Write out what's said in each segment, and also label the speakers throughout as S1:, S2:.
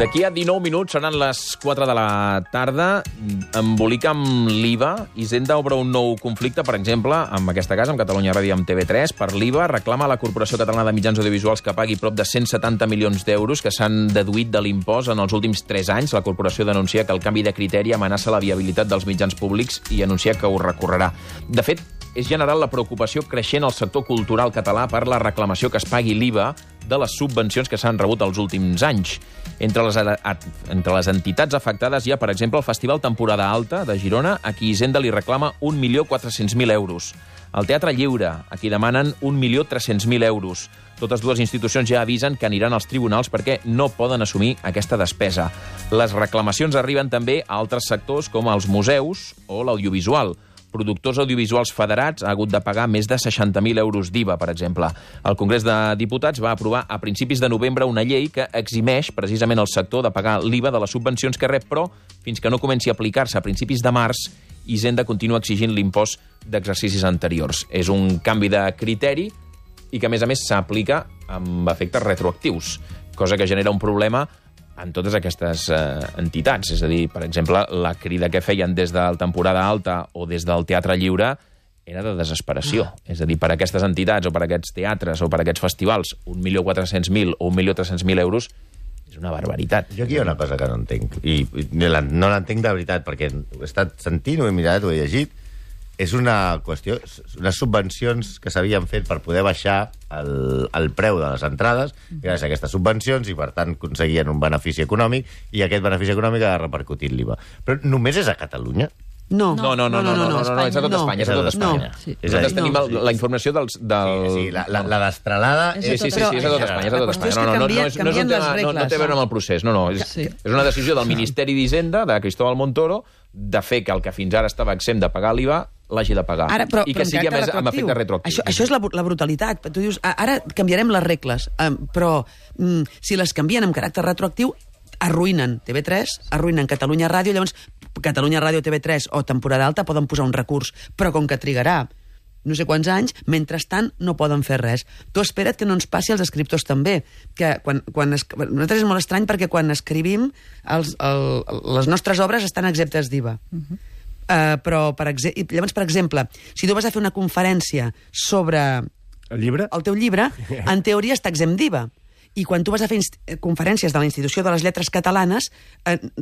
S1: D'aquí a 19 minuts seran les 4 de la tarda. Embolica amb l'IVA. Hisenda obre un nou conflicte, per exemple, amb aquesta casa, amb Catalunya Ràdio i amb TV3, per l'IVA. Reclama a la Corporació Catalana de Mitjans Audiovisuals que pagui prop de 170 milions d'euros que s'han deduït de l'impost en els últims 3 anys. La corporació denuncia que el canvi de criteri amenaça la viabilitat dels mitjans públics i anuncia que ho recorrerà. De fet, és general la preocupació creixent al sector cultural català per la reclamació que es pagui l'IVA de les subvencions que s'han rebut els últims anys. Entre les entitats afectades hi ha, per exemple, el Festival Temporada Alta de Girona, a qui Hisenda li reclama 1.400.000 euros. El Teatre Lliure, a qui demanen 1.300.000 euros. Totes dues institucions ja avisen que aniran als tribunals perquè no poden assumir aquesta despesa. Les reclamacions arriben també a altres sectors com els museus o l'audiovisual. Productors audiovisuals federats ha hagut de pagar més de 60.000 euros d'IVA, per exemple. El Congrés de Diputats va aprovar a principis de novembre una llei que eximeix precisament el sector de pagar l'IVA de les subvencions que rep, però fins que no comenci a aplicar-se a principis de març, Hisenda continua exigint l'impost d'exercicis anteriors. És un canvi de criteri i que, a més, s'aplica amb efectes retroactius, cosa que genera un problema en totes aquestes entitats. És a dir, per exemple, la crida que feien des de la temporada alta o des del Teatre Lliure era de desesperació. És a dir, per aquestes entitats o per aquests teatres o per aquests festivals, 1.400.000 o 1.300.000 euros és una barbaritat.
S2: Jo aquí hi ha una cosa que no entenc, i no l'entenc de veritat, perquè he estat sentint, ho he mirat, ho he llegit. És una qüestió, unes subvencions que s'havien fet per poder baixar el preu de les entrades gràcies a aquestes subvencions i, per tant, aconseguien un benefici econòmic i aquest benefici econòmic ha repercutit l'IVA. Però només és a Catalunya?
S1: No, és a tot Espanya. És a tot Espanya. Nosaltres tenim la informació dels...
S2: Sí, la destralada...
S1: Sí, és a tot Espanya. No té a veure amb el procés. És una decisió del Ministeri d'Hisenda, de Cristóbal Montoro, de fer que el que fins ara estava exempt de pagar l'IVA l'hagi de pagar. I que sigui amb efecte retroactiu.
S3: Això és la brutalitat. Tu dius, ara canviarem les regles, però si les canvien amb caràcter retroactiu, arruïnen TV3, arruïnen Catalunya Ràdio, llavors Catalunya Ràdio, TV3 o Temporada Alta poden posar un recurs, però com que trigarà no sé quants anys, mentrestant no poden fer res. Tu espera't que no ens passi als escriptors també, que nosaltres és molt estrany perquè quan escrivim les nostres obres estan exemptes d'IVA. Però, llavors, per exemple, si tu vas a fer una conferència sobre el teu llibre, en teoria està exempt d'IVA. I quan tu vas a fer conferències de la Institució de les Lletres Catalanes,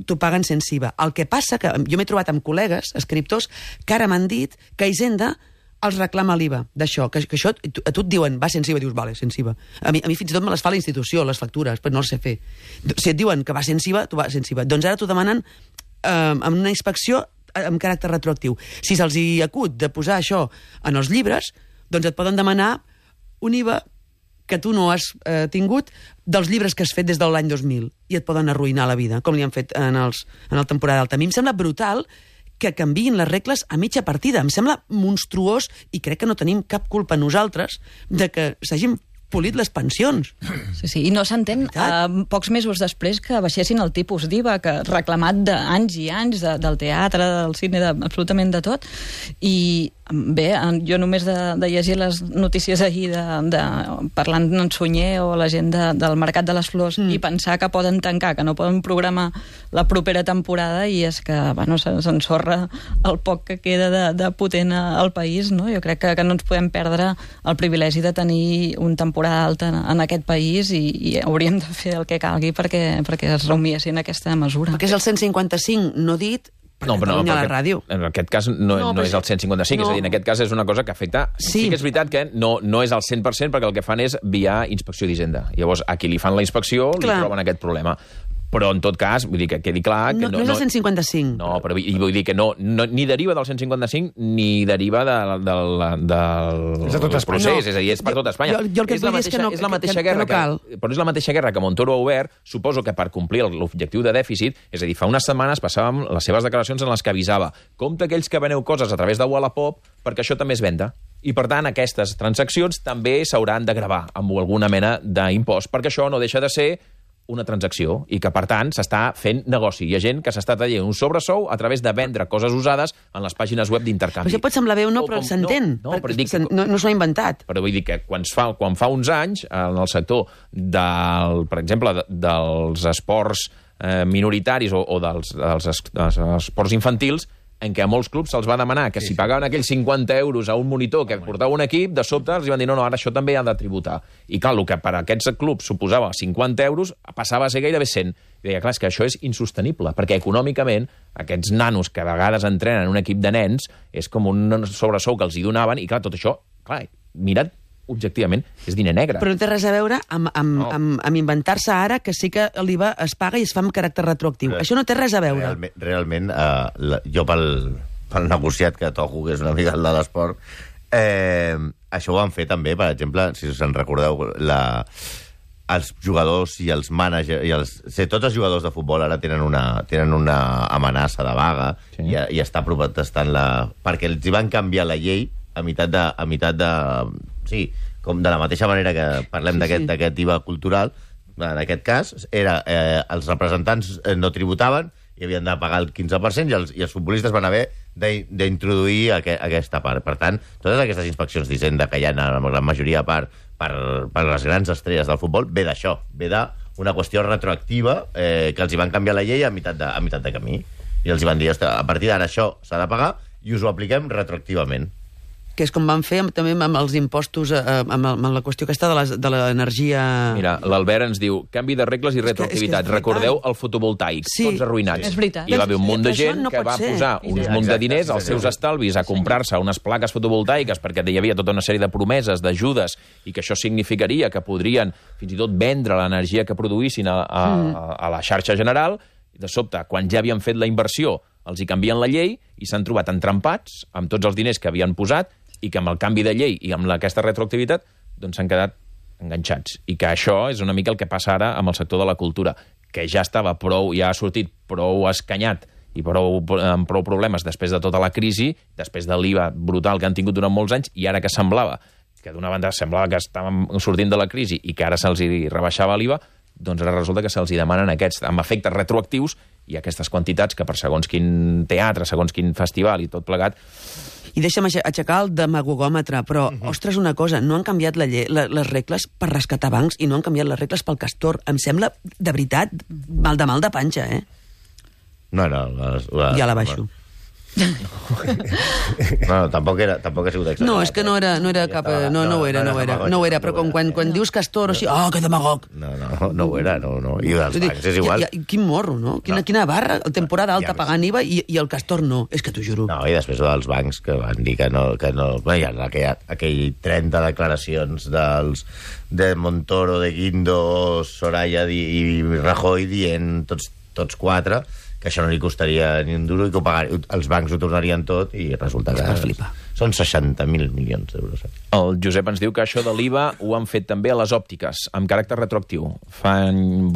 S3: t'ho paguen sense IVA. El que passa que jo m'he trobat amb col·legues, escriptors, que ara m'han dit que Hisenda els reclama l'IVA d'això, que això a tu et diuen va sense IVA, dius, vale, sense IVA. A mi fins i tot me les fa la institució, les factures, però no les sé fer. Si et diuen que va sense IVA, tu vas sense IVA. Doncs ara t'ho demanen amb una inspecció amb caràcter retroactiu. Si se'ls hi acut de posar això en els llibres, doncs et poden demanar un IVA que tu no has tingut dels llibres que has fet des de l'any 2000 i et poden arruïnar la vida, com li han fet en el Temporada Alta. A mi em sembla brutal que canviïn les regles a mitja partida. Em sembla monstruós i crec que no tenim cap culpa nosaltres de que s'hagin polit les pensions.
S4: Sí, i no s'entén pocs mesos després que baixessin el tipus d'IVA, que reclamat d'anys i anys del teatre, del cine, absolutament de tot. I bé, jo només de llegir les notícies ahir parlant en Sunyer o la gent del Mercat de les Flors i pensar que poden tancar, que no poden programar la propera temporada, i és que s'ensorra el poc que queda de potent al país, no? Jo crec que no ens podem perdre el privilegi de tenir un temporada alta en aquest país i hauríem de fer el que calgui perquè es rumiessin aquesta mesura.
S3: Perquè és el 155 no dit.
S1: No, però en aquest cas no és el 155, és a dir, en aquest cas és una cosa que afecta... Sí que és veritat que no és el 100% perquè el que fan és via inspecció d'Hisenda. Llavors, a qui li fan la inspecció li troben aquest problema. Però, en tot cas, vull dir que quedi clar...
S3: No és el 155.
S1: No, però vull dir que ni deriva del 155 ni deriva del procés. És a dir, és per tot Espanya.
S3: Jo el que vull dir és que no cal.
S1: Però és la mateixa guerra que Montoro ha obert, suposo que per complir l'objectiu de dèficit, és a dir, fa unes setmanes passàvem les seves declaracions en les que avisava compte aquells que veneu coses a través de Wallapop perquè això també es venda. I, per tant, aquestes transaccions també s'hauran de gravar amb alguna mena d'impost, perquè això no deixa de ser una transacció i que, per tant, s'està fent negoci. Hi ha gent que s'està traient un sobresou a través de vendre coses usades en les pàgines web d'intercanvi.
S3: Això pot semblar bé o no, però s'entén. No s'ho ha inventat.
S1: Però vull dir que quan fa uns anys, en el sector, per exemple, dels esports minoritaris o dels esports infantils, en què a molts clubs se'ls va demanar que si pagaven aquells 50 euros a un monitor que portava un equip, de sobte els van dir no, ara això també ha de tributar. I clar, el que per a aquests clubs suposava 50 euros passava a ser gairebé 100. I deia, clar, és que això és insostenible, perquè econòmicament aquests nanos que a vegades entrenen en un equip de nens és com un sobresou que els hi donaven, i clar, tot això, clar, mira't, objectivament, és diner negre.
S3: Però no té res a veure amb inventar-se ara que sí que l'IVA es paga i es fa amb caràcter retroactiu. Això no té res a veure.
S2: Realment, jo pel negociat que toco, que és una mica el de l'esport, això ho van fer també, per exemple, si us en recordeu, els jugadors i els mànagers... Tots els jugadors de futbol ara tenen una amenaça de vaga i està protestant perquè els hi van canviar la llei a meitat de... Sí, com de la mateixa manera que parlem d'aquest IVA cultural, en aquest cas, els representants no tributaven i havien de pagar el 15% i els futbolistes van haver d'introduir aquesta part. Per tant, totes aquestes inspeccions d'Hisenda que hi ha en la majoria per les grans estrelles del futbol ve d'això, ve d'una qüestió retroactiva que els hi van canviar la llei a meitat de camí. I els hi van dir, a partir d'ara això s'ha de pagar i us ho apliquem retroactivament.
S3: Que és com van fer també amb els impostos, amb la qüestió aquesta de l'energia...
S1: Mira, l'Albert ens diu, canvi de regles i retroactivitat. Recordeu el fotovoltaic, tots arruïnats.
S4: És veritat.
S1: I va haver un munt de gent que va posar uns munt de diners als seus estalvis a comprar-se unes plaques fotovoltaiques perquè hi havia tota una sèrie de promeses, d'ajudes, i que això significaria que podrien fins i tot vendre l'energia que produïssin a la xarxa general. De sobte, quan ja havien fet la inversió, els hi canvien la llei i s'han trobat entrampats amb tots els diners que havien posat i que amb el canvi de llei i amb aquesta retroactivitat doncs s'han quedat enganxats. I que això és una mica el que passa ara amb el sector de la cultura, que ja ha sortit prou escanyat i amb prou problemes després de tota la crisi, després de l'IVA brutal que han tingut durant molts anys, i ara que semblava que d'una banda semblava que estàvem sortint de la crisi i que ara se'ls rebaixava l'IVA, doncs ara resulta que se'ls demanen aquests amb efectes retroactius i aquestes quantitats que per segons quin teatre, segons quin festival i tot plegat.
S3: I deixa'm aixecar el demagogòmetre, però, ostres, una cosa, no han canviat les regles per rescatar bancs i no han canviat les regles pel Castor. Em sembla, de veritat, mal de panxa, eh?
S2: No,
S3: ja la baixo.
S2: No, tampoc ha sigut exagerat.
S3: No, és que no era cap... No ho era, però quan dius Castor, així, que demagog.
S2: No ho era, no. I els bancs és igual.
S3: Quin morro, no? Quina barra, el temporada alta pagant IVA i el Castor no. És que t'ho juro.
S2: No, i després dels bancs que van dir que no... Hi ha aquell 30 declaracions de Montoro, de Guindo, Soraya i Rajoy dient tots quatre que això no li costaria ni un duro i que els bancs ho tornarien tot i resulta que són 60.000 milions d'euros.
S1: El Josep ens diu que això de l'IVA ho han fet també a les òptiques, amb caràcter retroactiu. Fan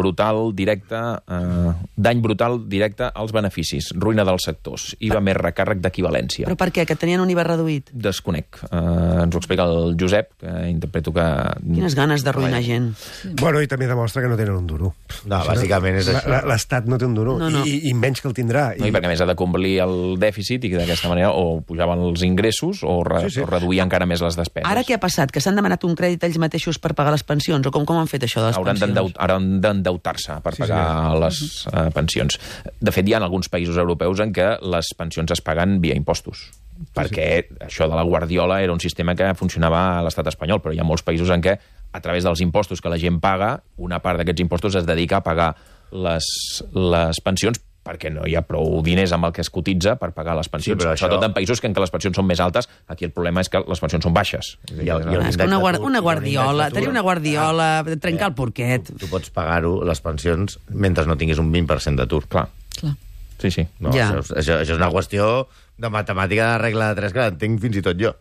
S1: dany brutal directe als beneficis, ruïna dels sectors, IVA més recàrrec d'equivalència.
S3: Però per què? Que tenien un IVA reduït?
S1: Desconec. Ens ho explica el Josep, que interpreto que...
S3: Quines ganes d'arruïnar gent.
S5: Bueno, i també demostra que no tenen un duro.
S2: No, bàsicament és això.
S5: L'Estat no té un duro, i menys que el tindrà.
S1: No, i perquè més ha de complir el dèficit i d'aquesta manera o pujaven els ingressos o reduir encara més les despeses.
S3: Ara què ha passat? Que s'han demanat un crèdit ells mateixos per pagar les pensions? O com han fet això de les pensions?
S1: Hauran d'endeutar-se per pagar les pensions. De fet, hi ha alguns països europeus en què les pensions es paguen via impostos. Perquè això de la Guardiola era un sistema que funcionava a l'estat espanyol, però hi ha molts països en què, a través dels impostos que la gent paga, una part d'aquests impostos es dedica a pagar les pensions perquè no hi ha prou diners amb el que es cotitza per pagar les pensions. Sobretot en països en què les pensions són més altes, aquí el problema és que les pensions són baixes.
S3: És que una guardiola, tenir una guardiola, trencar el porquet.
S2: Tu pots pagar-ho, les pensions, mentre no tinguis un 20% d'atur.
S1: Clar. Sí.
S2: No, això és una qüestió de matemàtica de regla de 3 que l'entenc fins i tot jo.